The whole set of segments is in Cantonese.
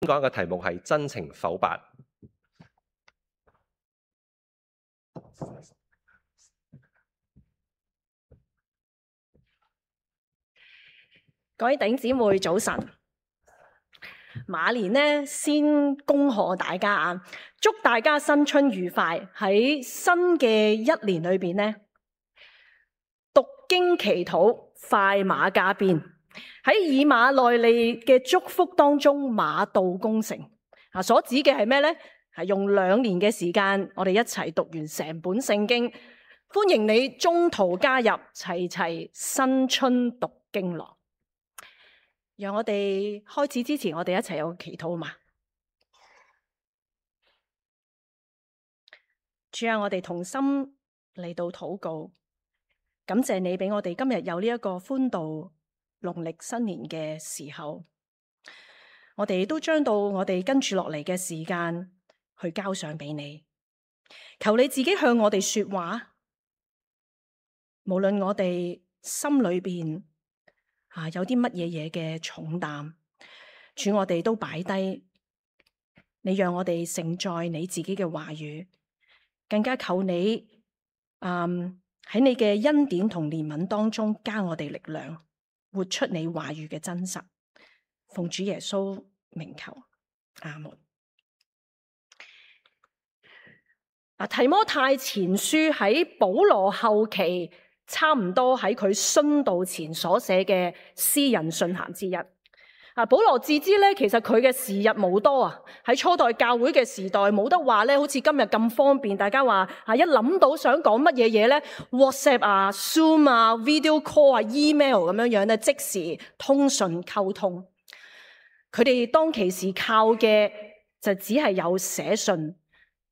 講嘅題目係真情剖白。各位弟兄姊妹早晨，馬年呢先恭賀大家啊，祝大家新春愉快。喺新嘅一年裏邊呢，讀經祈禱，快馬加鞭，喺以馬內利嘅祝福當中，馬到功成。所指嘅係咩呢？係用2年嘅時間，我哋一齊讀完成本聖經。歡迎你中途加入，齊齊新春讀經樂。讓我哋開始之前，我哋一齊有個祈禱嘛。主啊，我哋同心嚟到禱告，感謝你俾我哋今日有呢一個歡度農曆新年嘅時候，我哋都將到我哋跟住落嚟嘅時間去交上俾你，求你自己向我哋說話，無論我哋心裏邊有啲乜嘢嘅重擔，主我哋都擺低，你讓我哋承載你自己嘅話語，更加求你喺你嘅恩典同憐憫當中加我哋力量，活出你話語嘅真實。奉主耶穌名求，阿門。提摩太前書喺保羅後期，差唔多喺佢殉道前所寫嘅私人信函之一。保羅自知咧，其實佢嘅時日無多啊。喺初代教會嘅時代，冇得話咧，好似今日咁方便。大家話一諗到想講乜嘢嘢咧 ，WhatsApp 啊、Zoom 啊、Video Call 啊、Email 咁樣樣咧，即時通訊溝通。佢哋當其時靠嘅就只係有寫信，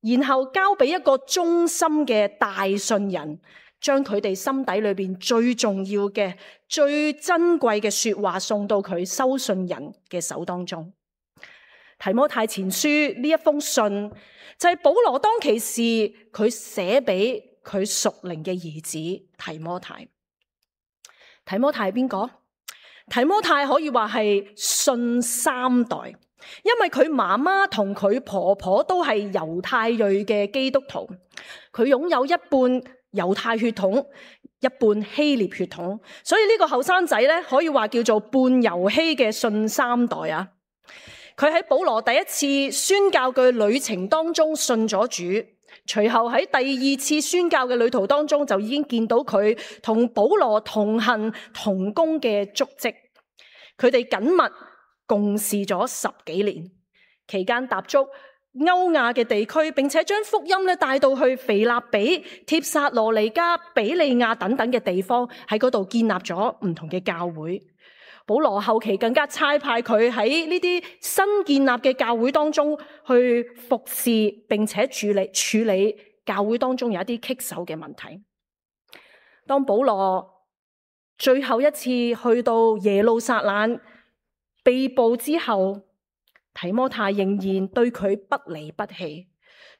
然後交俾一個忠心嘅大信人，將佢哋心底裏邊最重要嘅、最珍貴嘅說話送到佢收信人嘅手當中。提摩太前書呢一封信就係保羅當其時佢寫俾佢屬靈嘅兒子提摩太。提摩太係邊個？提摩太可以話係信3代，因為佢媽媽同佢婆婆都係猶太裔嘅基督徒，佢擁有一半猶太血統，一半希臘血統，所以呢個後生仔咧可以話叫做半猶希嘅信3代啊。佢喺保羅第一次宣教嘅旅程當中信咗主，隨後喺第2次宣教嘅旅途當中就已經見到佢同保羅同行同工嘅足跡。佢哋緊密共事咗10幾年，期間踏足歐亞嘅地區，並且將福音帶到去腓立比、帖撒羅尼迦、比利亞等等嘅地方，喺嗰度建立咗唔同嘅教會。保羅後期更加差派佢喺呢啲新建立嘅教會當中去服侍，並且處理教會當中有一啲棘手嘅問題。當保羅最後一次去到耶路撒冷被捕之後，提摩太仍然對佢不離不棄，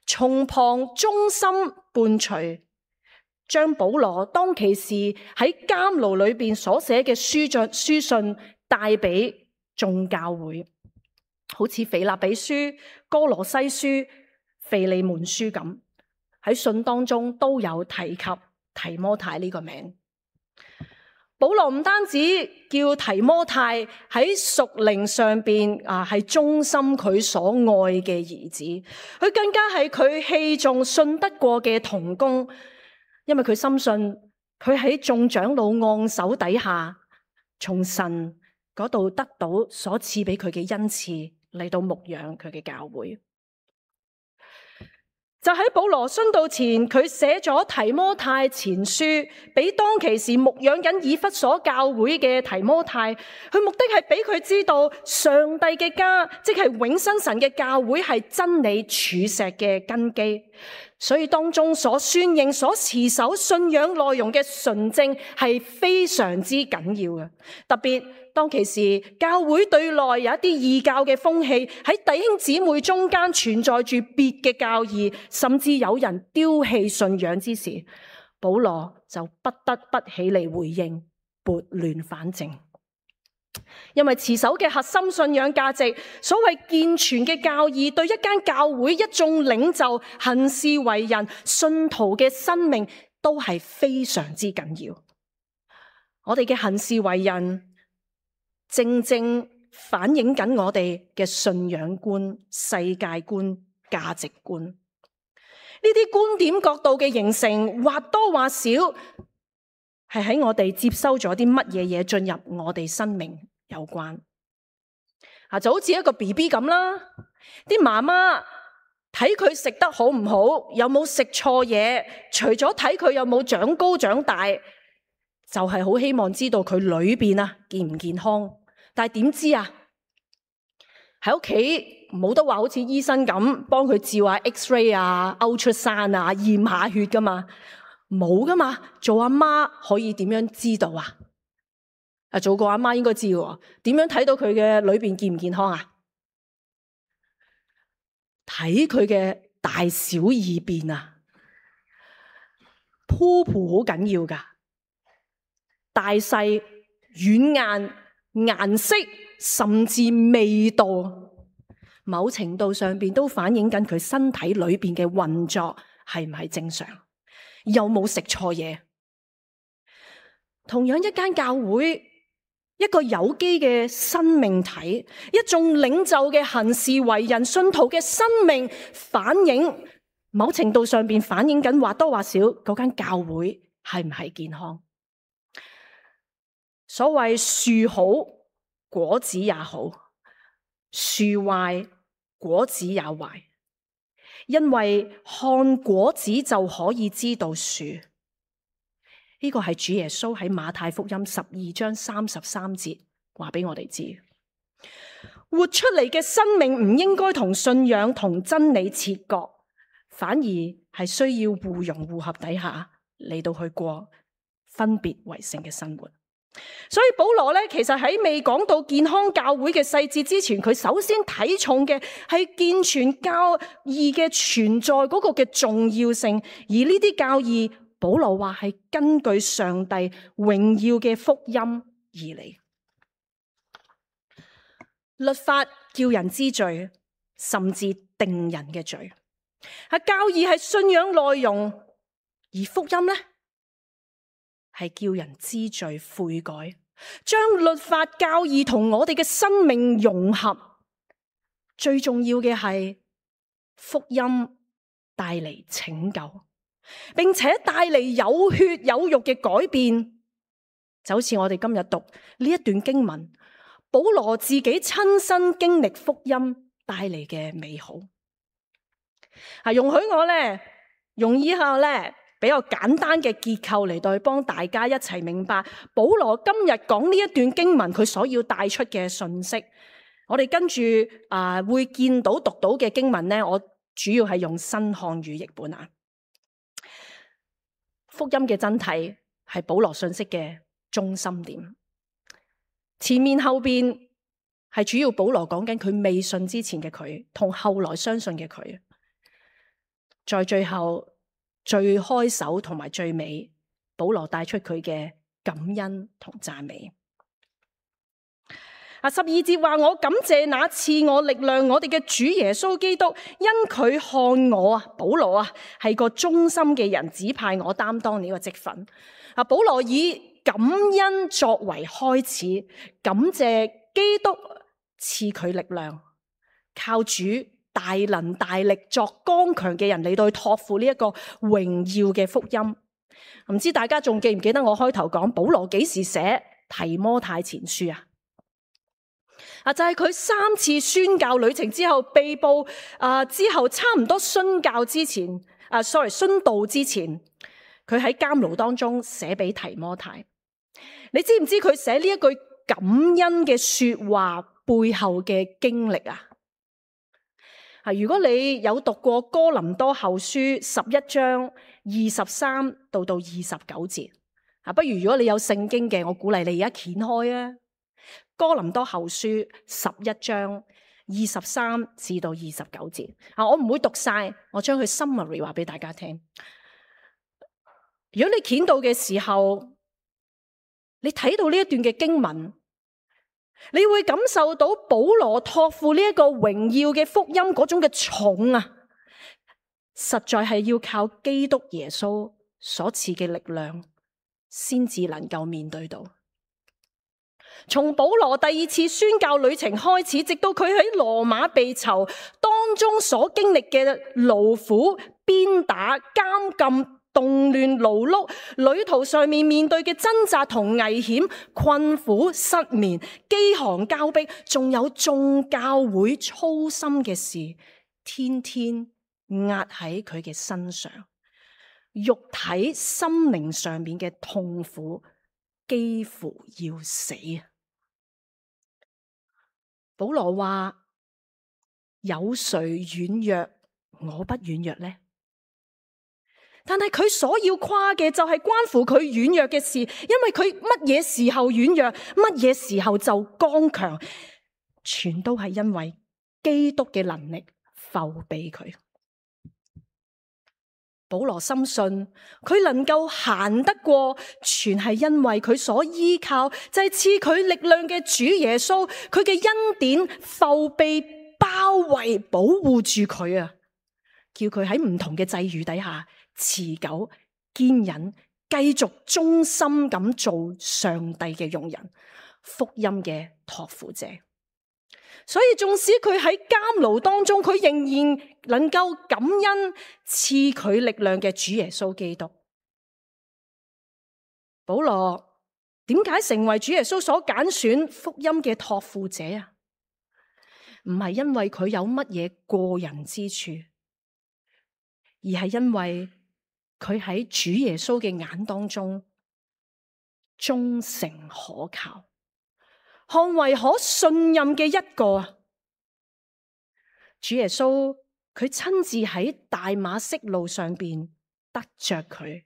從旁忠心伴隨，將保羅當其時喺監牢裏邊所寫嘅書信帶俾眾教會，好似腓立比書、哥羅西書、腓利門書咁，喺信當中都有提及提摩太呢個名。保羅唔單止叫提摩太喺屬靈上邊係忠心佢所愛嘅兒子，佢更加係佢器重信得過嘅同工，因為佢深信佢喺眾長老按手底下，從神嗰度得到所賜俾佢嘅恩賜，嚟到牧養佢嘅教會。就喺保羅殉道前，佢寫咗提摩太前書，俾當其時牧養緊以弗所教會嘅提摩太，佢目的係俾佢知道上帝嘅家，即係永生神嘅教會係真理柱石嘅根基，所以當中所宣認、所持守信仰內容嘅純正係非常之緊要嘅。特別當其時教會對內有一啲異教嘅風氣，喺弟兄姊妹中間存在住別嘅教義，甚至有人丟棄信仰之時，保羅就不得不起嚟回應，撥亂反正。因為持守嘅核心信仰價值，所謂健全嘅教義，對一間教會一眾領袖行事為人、信徒嘅生命都係非常之緊要。我哋嘅行事為人，正正反映緊我哋嘅信仰觀、世界觀、價值觀。呢啲觀點角度嘅形成，或多或少係喺我哋接收咗啲乜嘢嘢進入我哋生命有關。就好似一個 BB 咁啦，啲媽媽睇佢食得好唔好，有冇食錯嘢，除咗睇佢有冇長高長大，就係好希望知道佢裏邊健唔健康。但係點知喺屋企冇得話好似醫生咁幫佢照下 X-ray ultrasound 驗下血噶嘛，冇噶嘛。做阿媽可以點樣知道做過阿媽應該知喎，點樣睇到佢嘅裏邊健唔健康啊？睇佢嘅大小二便鋪好緊要噶，大細、軟硬、顏色，甚至味道，某程度上邊都反映緊佢身體裏邊嘅運作係唔係正常，有冇食錯嘢。同樣一間教會，一個有機嘅生命體，一眾領袖嘅行事為人、信徒嘅生命，反映某程度上邊反映緊或多或少嗰間教會係唔係健康。所謂樹好果子也好，樹壞果子也壞，因為看果子就可以知道樹。呢個係主耶穌喺馬太福音12章33節話俾我哋知，活出嚟嘅生命唔應該同信仰同真理切割，反而係需要互融互合底下嚟到去過分別為聖嘅生活。所以保羅咧，其實喺未講到健康教會嘅細節之前，佢首先睇重嘅係健全教義嘅存在嗰個嘅重要性，而呢啲教義，保羅話係根據上帝榮耀嘅福音而嚟。律法叫人知罪，甚至定人嘅罪。教義係信仰內容，而福音呢，係叫人知罪悔改，將律法教義同我哋嘅生命融合。最重要嘅係福音帶嚟拯救，並且帶嚟有血有肉嘅改變。就好似我哋今日讀呢一段經文，保羅自己親身經歷福音帶嚟嘅美好。容許我用以下比較簡單嘅結構嚟到幫大家一齊明白保羅今日講呢一段經文佢所要帶出嘅信息。我哋跟住會見到讀到嘅經文我主要係用新漢語譯本福音嘅真諦係保羅信息嘅中心點，前面後邊係主要保羅講緊佢未信之前嘅佢同後來相信嘅佢，在最後最開首同埋最尾，保羅帶出佢嘅感恩同讚美。12節話，我感謝那賜我力量我哋嘅主耶穌基督，因佢看我保羅係個忠心嘅人，指派我擔當呢個職分。保羅以感恩作為開始，感謝基督賜佢力量，靠主大能大力作剛強嘅人嚟到去託付呢一個榮耀嘅福音。唔知大家仲記唔記得我開頭講保羅幾時寫提摩太前書就係佢3次宣教旅程之後被捕之後差唔多殉道之前，佢喺監牢當中寫俾提摩太。你知唔知佢寫呢一句感恩嘅說話背後嘅經歷如果你有讀過哥林多後書11章23到29節不如如果你有聖經嘅，我鼓勵你而家掀開哥林多後書11章23至到29節我唔會讀晒，我將佢 summary 話俾大家聽。如果你掀到嘅時候，你睇到呢一段嘅經文，你會感受到保羅託付呢一個榮耀嘅福音嗰種嘅重啊，實在係要靠基督耶穌所賜嘅力量，先至能夠面對到。從保羅第二次宣教旅程開始，直到佢喺羅馬被囚當中所經歷嘅勞苦、鞭打、監禁、動亂、勞碌，旅途上面對嘅掙扎同危險、困苦、失眠、飢寒交迫，仲有眾教會操心嘅事，天天壓喺佢嘅身上，肉體心靈上面嘅痛苦幾乎要死。保羅話：有誰軟弱，我不軟弱呢？但係佢所要誇嘅就係關乎佢軟弱嘅事，因為佢乜嘢時候軟弱，乜嘢時候就剛強，全都係因為基督嘅能力覆庇佢。保羅深信佢能夠行得過，全係因為佢所依靠就係賜佢力量嘅主耶穌，佢嘅恩典覆庇包圍保護住佢啊，叫佢喺唔同嘅際遇底下持久堅忍，繼續忠心咁做上帝嘅用人，福音嘅託付者。所以縱使佢喺監牢當中，佢仍然能夠感恩賜佢力量嘅主耶穌基督。保羅點解成為主耶穌所揀選福音嘅託付者啊？唔係因為佢有乜嘢過人之處，而係因為佢喺主耶穌嘅眼當中忠誠可靠，看為可信任嘅一個啊！主耶穌佢親自喺大馬色路上邊得着佢，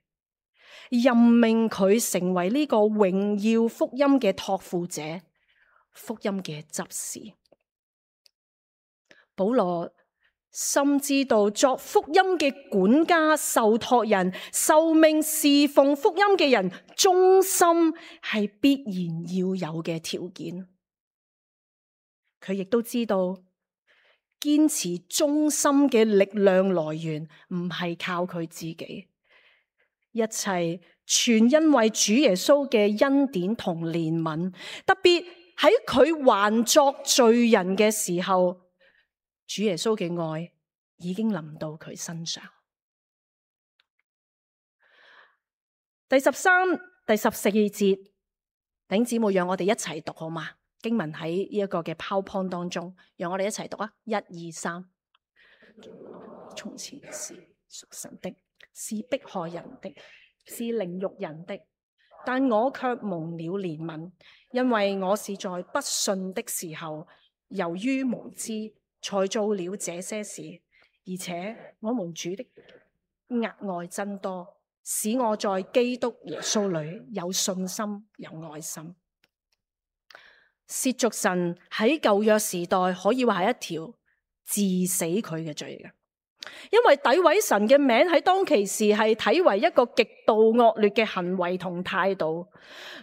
任命佢成為呢個榮耀福音嘅託付者，福音嘅執事。保羅深知道作福音嘅管家、受託人、受命侍奉福音嘅人，忠心係必然要有嘅條件。佢亦都知道堅持忠心嘅力量來源唔係靠佢自己，一切全因為主耶穌嘅恩典同憐憫。特別喺佢還作罪人嘅時候，主耶穌嘅愛已經臨到佢身上。第13、第14節，弟兄姊妹，讓我哋一齊讀好嗎？經文喺呢一個嘅 PowerPoint 當中，讓我哋一齊讀啊！1、2、3。從前是屬神的，是迫害人的，是凌辱人的，但我卻蒙了憐憫，因為我是在不信的時候，由於無知，才做了這些事。而且我們主的額外增多，使我在基督耶穌裏有信心、有愛心。褻瀆神喺舊約時代可以話係一條治死佢嘅罪嘅，因為詆毀神嘅名喺當其時係睇為一個極度惡劣嘅行為同態度。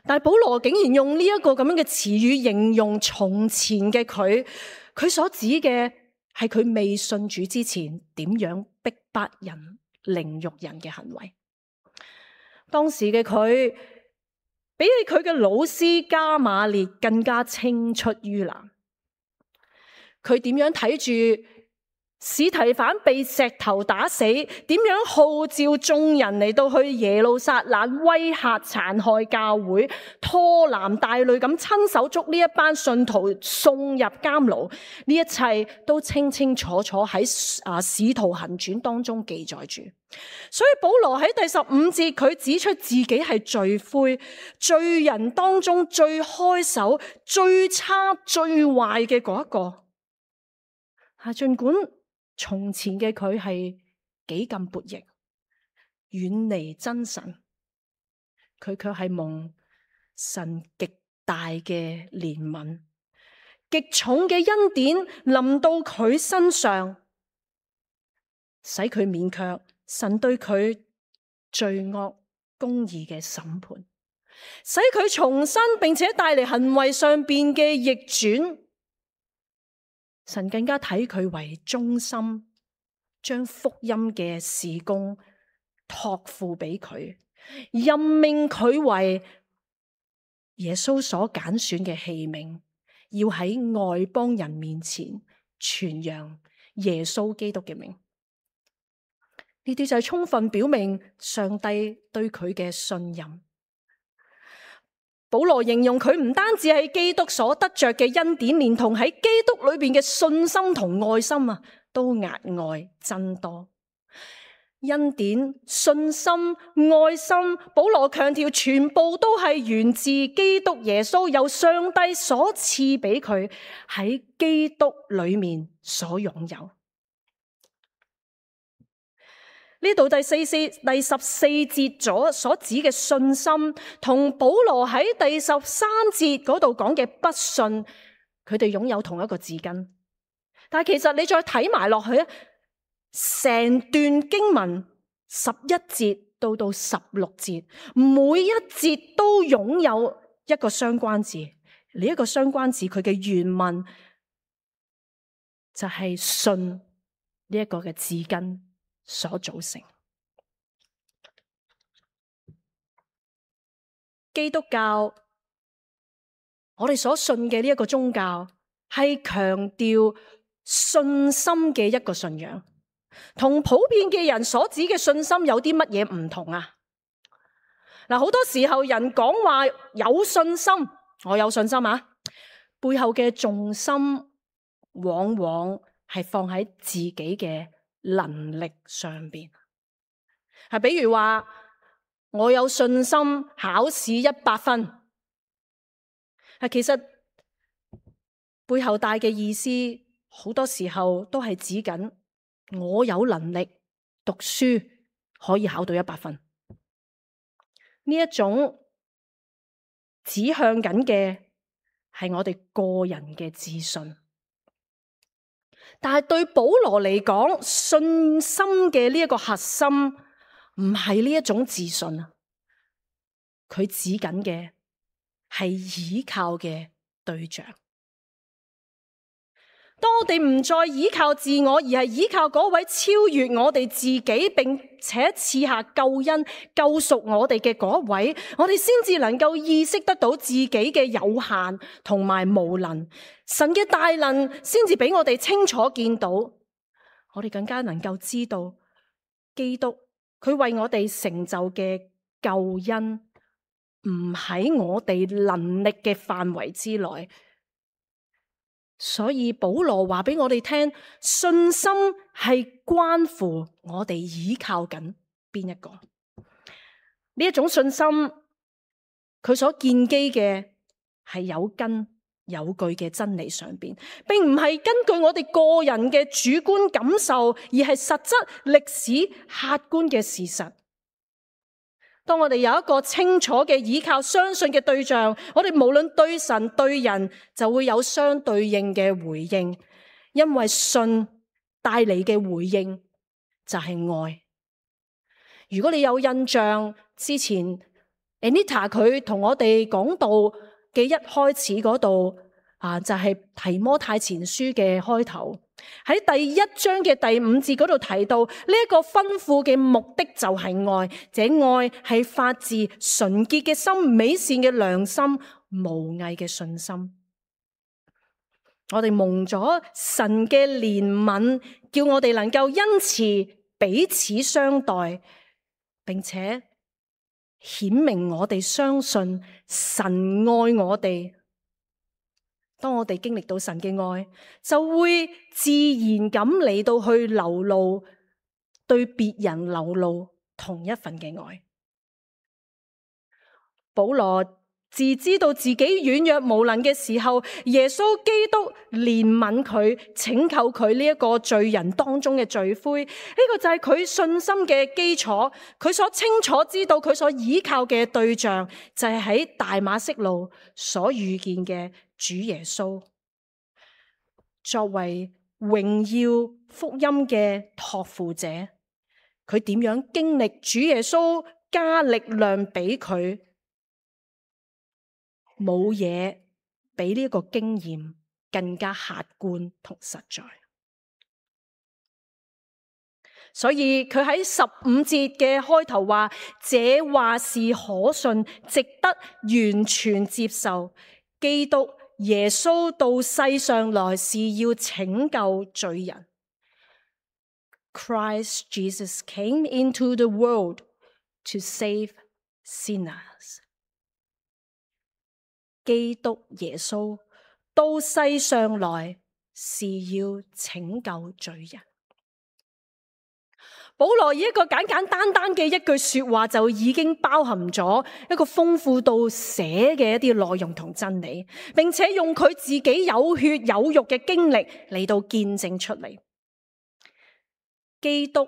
但係保羅竟然用呢一個咁樣嘅詞語形容從前嘅佢，佢所指嘅係佢未信主之前點樣逼迫人、凌辱人嘅行為。當時嘅佢比起佢嘅老師加馬列更加青出於藍。佢點樣睇住司提反被石頭打死，點樣號召眾人嚟到去耶路撒冷威嚇殘害教會，拖男帶女咁親手捉呢一班信徒送入監牢，呢一切都清清楚楚喺使徒行傳當中記載住。所以保羅喺第15節佢指出自己係罪魁，罪人當中最開手、最差、最壞嘅嗰一個。儘管從前嘅佢係幾咁悖逆，遠離真神，佢卻係蒙神極大嘅憐憫，極重嘅恩典臨到佢身上，使佢免卻神對佢罪惡公義嘅審判。使佢重生，並且帶嚟行為上邊嘅逆轉。神更加睇佢為忠心，將福音嘅事工託付俾佢，任命佢為耶穌所揀選嘅器皿，要喺外邦人面前傳揚耶穌基督嘅名。呢啲就係充分表明上帝對佢嘅信任。保羅形容佢唔單止係基督所得着嘅恩典，連同喺基督裏邊嘅信心同愛心啊，都額外增多。恩典、信心、愛心，保羅強調全部都係源自基督耶穌，由上帝所賜俾佢喺基督裏面所擁有。呢度第14節所指嘅信心，同保羅喺第13節嗰度講嘅不信，佢哋擁有同一個字根。但係其實你再睇埋落去，成段經文11節到16節，每一節都擁有一個相關字。呢一個相關字，佢嘅原文就係信呢一個嘅字根所組成。基督教，我哋所信嘅呢一個宗教，係強調信心嘅一個信仰，同普遍嘅人所指嘅信心有啲乜嘢唔同啊？嗱，好多時候人講話有信心，我有信心啊，背後嘅重心往往係放喺自己嘅能力上邊，係比如話我有信心考試100分，其實背後帶嘅意思好多時候都係指緊我有能力讀書可以考到100分，呢一種指向緊嘅係我哋個人嘅自信。但係對保羅嚟講，信心嘅呢一個核心唔係呢一種自信啊，佢指緊嘅係倚靠嘅對象。當我哋唔再倚靠自我，而係倚靠嗰位超越我哋自己，並且賜下救恩救贖我哋嘅嗰位，我哋先至能夠意識得到自己嘅有限同埋無能，神嘅大能先至俾我哋清楚見到，我哋更加能夠知道基督佢為我哋成就嘅救恩唔喺我哋能力嘅範圍之內。所以保羅話俾我哋聽，信心係關乎我哋依靠緊邊一個。呢一種信心，佢所建基嘅係有根有據嘅真理上邊，並唔係根據我哋個人嘅主觀感受，而係實質歷史客觀嘅事實。當我哋有一個清楚嘅依靠相信嘅對象，我哋無論對神對人就會有相對應嘅回應，因為信帶嚟嘅回應就係愛。如果你有印象，之前 Anita 佢同我哋講道嘅一開始嗰度就係提摩太前書嘅開頭，喺第1章嘅第5節嗰度提到呢一個吩咐嘅目的就係愛，這愛係發自純潔嘅心、美善嘅良心、無偽嘅信心。我哋蒙咗神嘅憐憫，叫我哋能夠因此彼此相待，並且顯明我哋相信神愛我哋。當我哋經歷到神嘅愛，就會自然咁嚟到去流露，對別人流露同一份嘅愛。保羅自知道自己軟弱無能嘅時候，耶穌基督憐憫佢，拯救佢呢一個罪人當中嘅罪魁。呢個就係佢信心嘅基礎。佢所清楚知道佢所依靠嘅對象就係喺大馬色路所遇見嘅主耶穌。作為榮耀福音嘅託付者，佢點樣經歷主耶穌加力量俾佢，冇嘢比呢個經驗更加客觀同實在。所以佢喺15節嘅開頭話，這話是可信，值得完全接受。基督耶穌到世上來是要拯救罪人。Christ Jesus came into the world to save sinners。基督耶穌到世上來是要拯救罪人。保羅以一個簡簡單單嘅一句說話，就已經包含咗一個豐富到寫嘅一啲內容同真理，並且用佢自己有血有肉嘅經歷嚟到見證出嚟。基督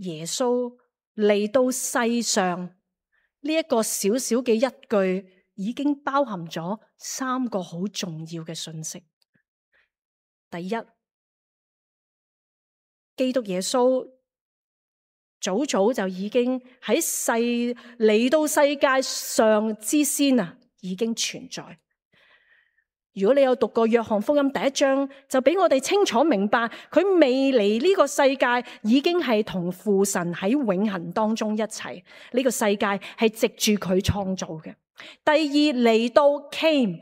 耶穌嚟到世上呢一個小小嘅一句，已經包含咗3個好重要嘅信息。第一，基督耶穌早早就已經嚟到世界上之先啊，已經存在。如果你有讀過約翰福音第1章，就俾我哋清楚明白，佢未嚟呢個世界，已經係同父神喺永恆當中一齊。呢個世界係藉住佢創造嘅。第二，嚟到 came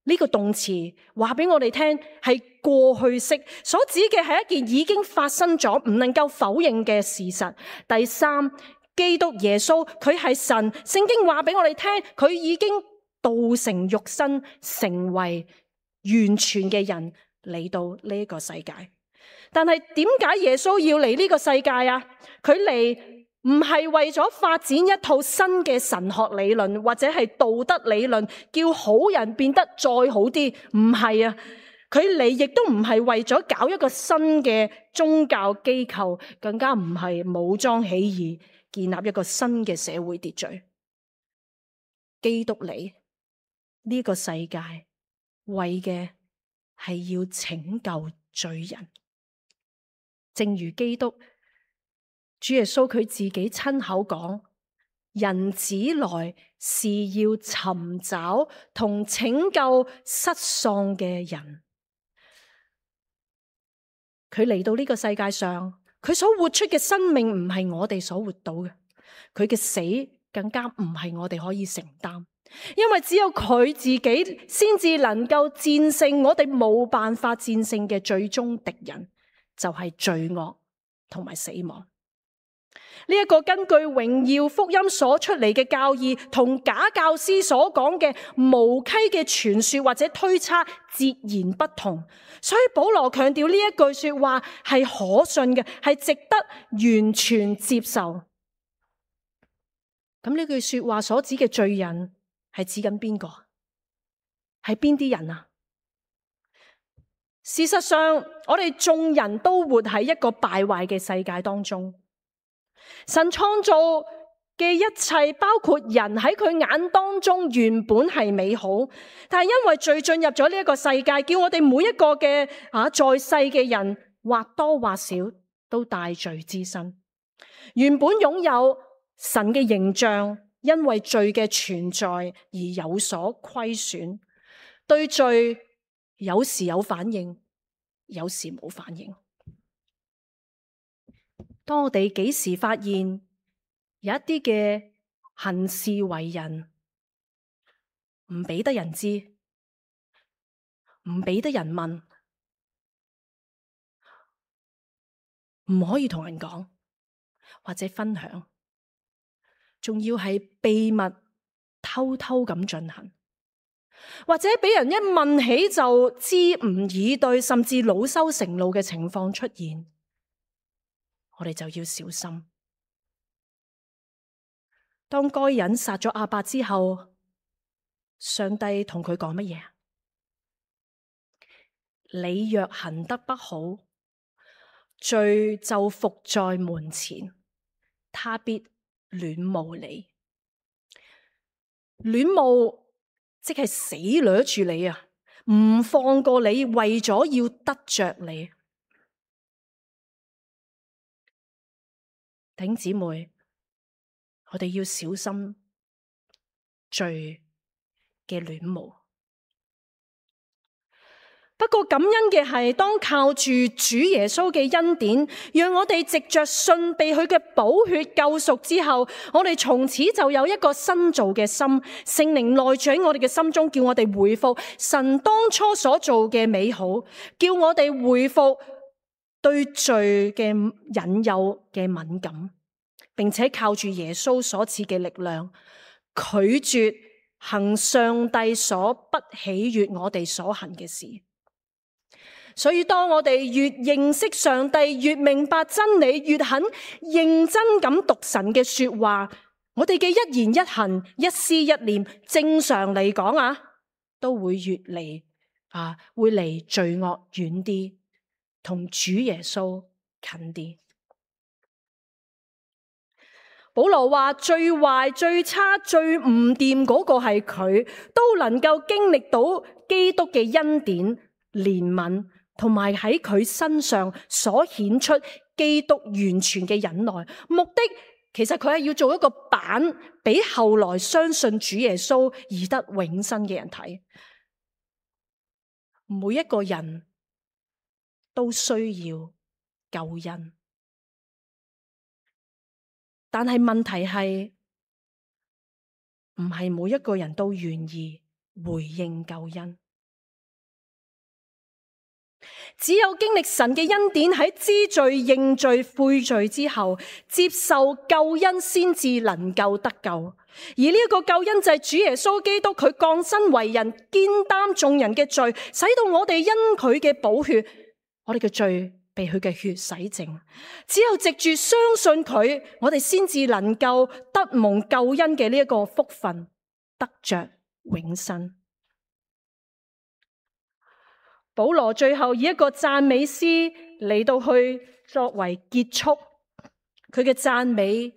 呢個動詞，話俾我哋聽係過去式，所指嘅係一件已經發生咗，唔能夠否認嘅事實。第三，基督耶穌佢係神，聖經話俾我哋聽，佢已經道成肉身，成為完全嘅人嚟到呢個世界。但係點解耶穌要嚟呢個世界啊？佢嚟唔係為咗發展一套新嘅神學理論，或者係道德理論，叫好人變得再好啲，唔係啊。佢嚟亦都唔係為咗搞一個新嘅宗教機構，更加唔係武裝起義，建立一個新嘅社會秩序。基督嚟呢個世界，為嘅係要拯救罪人。正如基督主耶穌佢自己親口講，人子來是要尋找同拯救失喪嘅人。佢嚟到呢個世界上，佢所活出嘅生命唔係我哋所活到嘅，佢嘅死更加唔係我哋可以承擔。因為只有佢自己先至能夠戰勝我哋冇辦法戰勝嘅最終敵人，就係罪惡同埋死亡。呢一個根據榮耀福音所出嚟嘅教義，同假教師所講嘅無稽嘅傳說或者推測截然不同。所以保羅強調呢一句說話係可信嘅，係值得完全接受。咁呢句說話所指嘅罪人係指緊邊個？係邊啲人啊？事實上，我哋眾人都活喺一個敗壞嘅世界當中。神創造嘅一切，包括人喺佢眼當中原本係美好，但係因為罪進入咗呢一個世界，叫我哋每一個嘅在世嘅人或多或少都帶罪之身。原本擁有神嘅形象，因為罪嘅存在而有所虧損，對罪有時有反應，有時冇反應。當我哋幾時發現有一啲嘅行事為人唔俾得人知，唔俾得人問，唔可以同人講或者分享，仲要係秘密偷偷咁進行，或者俾人一問起就支吾以對，甚至惱羞成怒嘅情況出現，我哋就要小心。當該隱殺咗亞伯之後，上帝同佢講乜嘢？你若行得不好，罪就伏在門前，他必戀慕你。戀慕即係死掠住你啊，唔放過你，為咗要得着你。弟兄姊妹，我哋要小心罪嘅戀慕。不過感恩嘅係，當靠住主耶穌嘅恩典，讓我哋藉着信被佢嘅寶血救贖之後，我哋從此就有一個新造嘅心，聖靈內住喺我哋嘅心中，叫我哋回復神當初所做嘅美好，叫我哋回復對罪嘅引誘嘅敏感，並且靠住耶穌所賜嘅力量，拒絕行上帝所不喜悅我哋所行嘅事。所以當我哋越認識上帝，越明白真理，越肯認真咁讀神嘅說話，我哋嘅一言一行、一思一念，正常嚟講都會越嚟會離罪惡遠啲，同主耶穌近啲。保羅話最壞、最差、最唔掂嗰個係佢，都能夠經歷到基督嘅恩典、憐憫，同埋喺佢身上所顯出基督完全嘅忍耐。目的其實佢係要做一個版，俾後來相信主耶穌而得永生嘅人睇。每一個人都需要救恩。但係問題係，唔係每一個人都願意回應救恩。只有經歷神嘅恩典，喺知罪、認罪、悔罪之後，接受救恩，先至能夠得救。而呢一個救恩就係主耶穌基督，佢降生為人，肩擔眾人嘅罪，使到我哋因佢嘅寶血，我哋嘅罪被佢嘅血洗淨。只有藉住相信佢，我哋先至能夠得蒙救恩嘅呢一個福分，得着永生。保羅最後以一個讚美詩嚟到去作為結束，佢嘅讚美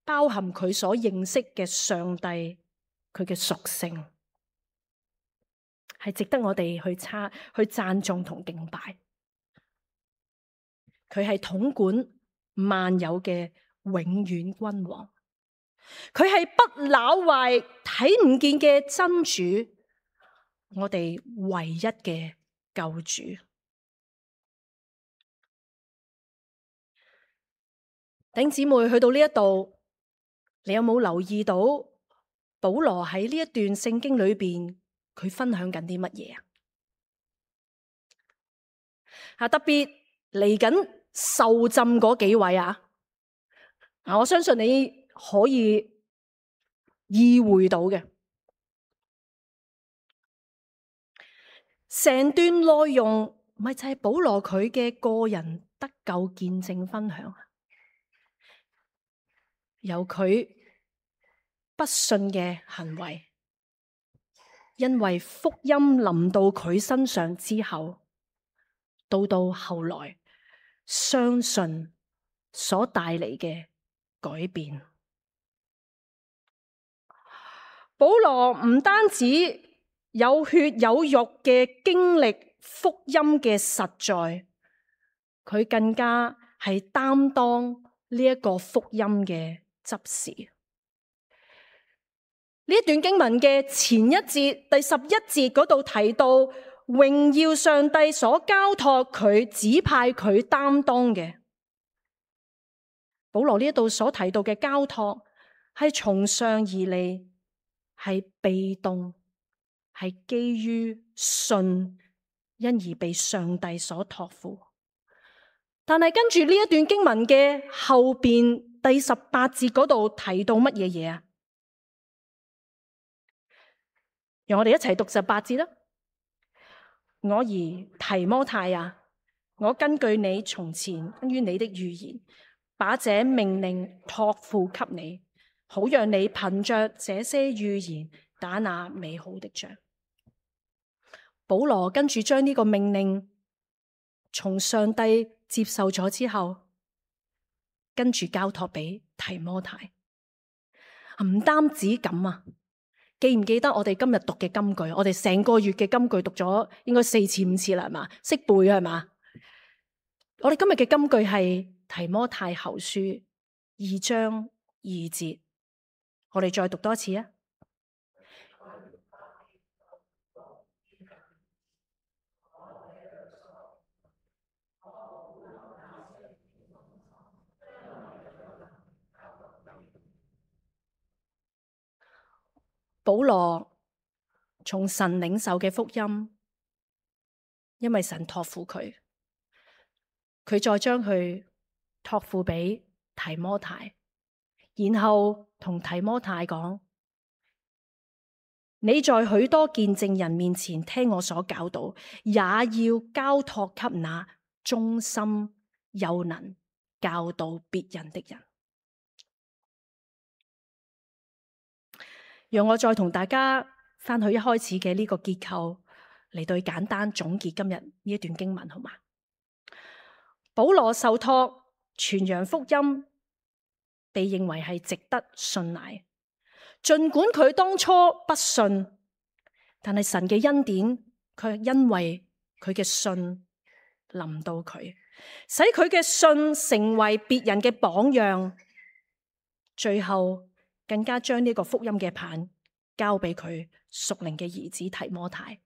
包含佢所認識嘅上帝，佢嘅屬性，係值得我哋去讚頌同敬拜。佢係統管萬有嘅永遠君王，佢係不朽壞睇唔見嘅真主，我哋唯一嘅救主。弟兄姊妹，去到呢一度，你有冇留意到保羅喺呢一段聖經裏邊，佢分享緊啲乜嘢特別嚟緊受浸嗰幾位我相信你可以意會到嘅。成段內容咪就係保羅佢嘅個人得救見證分享，由佢不信嘅行為，因為福音臨到佢身上之後，到後來相信所帶嚟嘅改變。保羅唔單止有血有肉嘅經歷福音嘅實在，佢更加係擔當呢一個福音嘅執事。呢一段經文嘅前一節第11節嗰度提到，榮耀上帝所交託佢指派佢擔當嘅。保羅呢一度所提到嘅交託係從上而嚟，係被動，係基於信，因而被上帝所託付。但係跟住呢一段經文嘅後邊第18節嗰度提到乜嘢嘢讓我哋一齊讀18節啦。我兒提摩太我根據你從前關於你的預言，把這命令託付給你，好讓你憑着這些預言打那美好的仗。保羅跟住將呢個命令從上帝接受咗之後，跟住交託俾提摩太。唔單止咁記唔記得我哋今日讀嘅金句？我哋成個月嘅金句讀咗應該4次5次啦，係嘛？識背係嘛？我哋今日嘅金句係提摩太後書2章2節，我哋再讀多次保羅從神領受嘅福音，因為神託付佢，佢再將佢託付俾提摩太，然後同提摩太講：你在許多見證人面前聽我所教導，也要交託給那忠心又能教導別人的人。讓我再同大家翻去一開始嘅呢個結構嚟對簡單總結今日呢一段經文，好嗎？保羅受託傳揚福音，被認為係值得信賴。儘管佢當初不信，但係神嘅恩典卻因為佢嘅信臨到佢，使佢嘅信成為別人嘅榜樣，最後更加將呢個福音嘅棒交俾佢屬靈嘅兒子提摩太，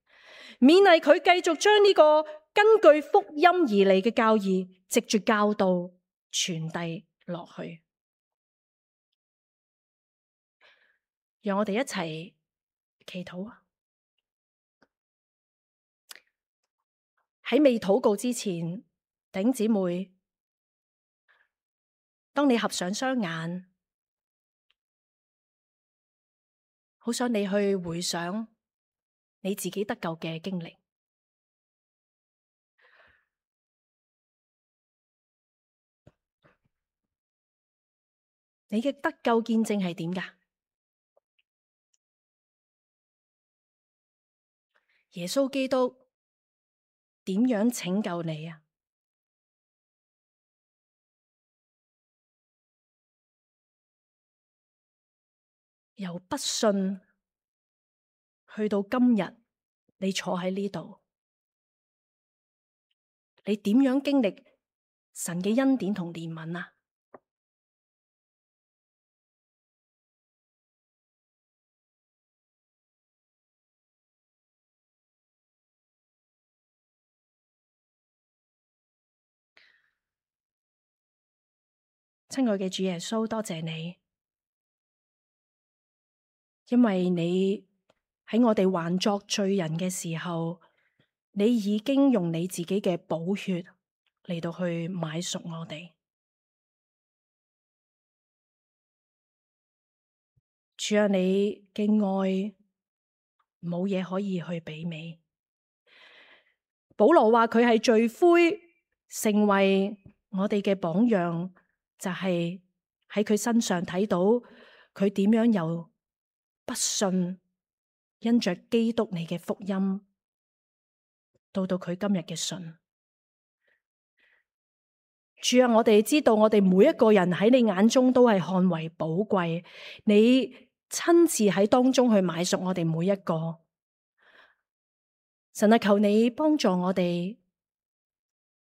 勉勵佢繼續將呢個根據福音而嚟嘅教義，藉住教導傳遞落去。讓我哋一齊祈禱啊！喺未禱告之前，弟兄姊妹，當你合上雙眼，好想你去回想你自己得救嘅經歷。你嘅得救見證係點㗎？耶穌基督點樣拯救你啊？由不信去到今日，你坐喺呢度，你點樣經歷神嘅恩典同憐憫啊？親愛嘅主耶穌，多謝你，因為你喺我哋還作罪人嘅時候，你已經用你自己嘅寶血嚟到去買贖我哋。主啊，你嘅愛冇嘢可以去媲美。保羅話佢係罪魁，成為我哋嘅榜樣，就係喺佢身上睇到佢點樣由不信，因着基督你嘅福音，到佢今日嘅信。主啊，我哋知道我哋每一個人喺你眼中都係看為寶貴，你親自喺當中去買贖我哋每一個。神啊，求你幫助我哋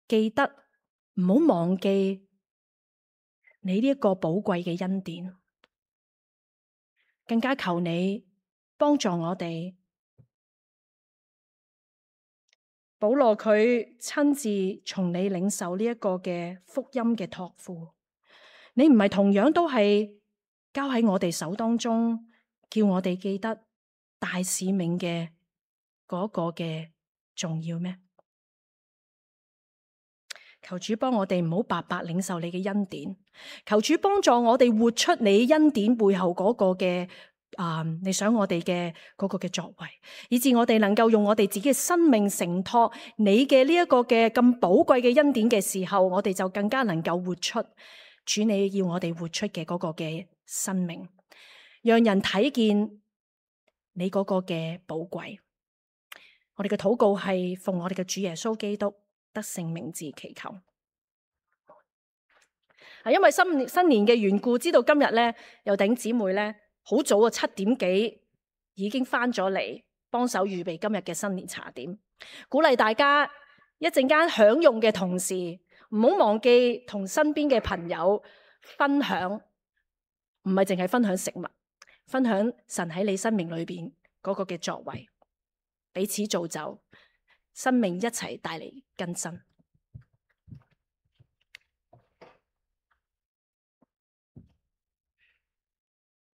記得，唔好忘記你呢一個寶貴嘅恩典，更加求你幫助我哋。保羅佢親自從你領受呢一個嘅福音嘅託付，你唔係同樣都係交喺我哋手當中，叫我哋記得大使命嘅嗰個嘅重要咩？求主幫我哋唔好白白領受你嘅恩典，求主幫助我哋活出你恩典背後嗰個嘅你想我哋嘅嗰個嘅作為，以致我哋能夠用我哋自己嘅生命承托你嘅呢一個嘅咁寶貴嘅恩典嘅時候，我哋就更加能夠活出主你要我哋活出嘅嗰個嘅生命，讓人睇見你嗰個嘅寶貴。我哋嘅禱告係奉我哋嘅主耶穌基督得勝名字祈求。因為新年嘅緣故，知道今日咧有弟兄姊妹咧好早啊，7點幾已經翻咗嚟幫手預備今日嘅新年茶點，鼓勵大家一陣間享用嘅同時，唔好忘記同身邊嘅朋友分享，唔係淨係分享食物，分享神喺你生命裏邊嗰個嘅作為，彼此造就，生命一齊帶嚟更新。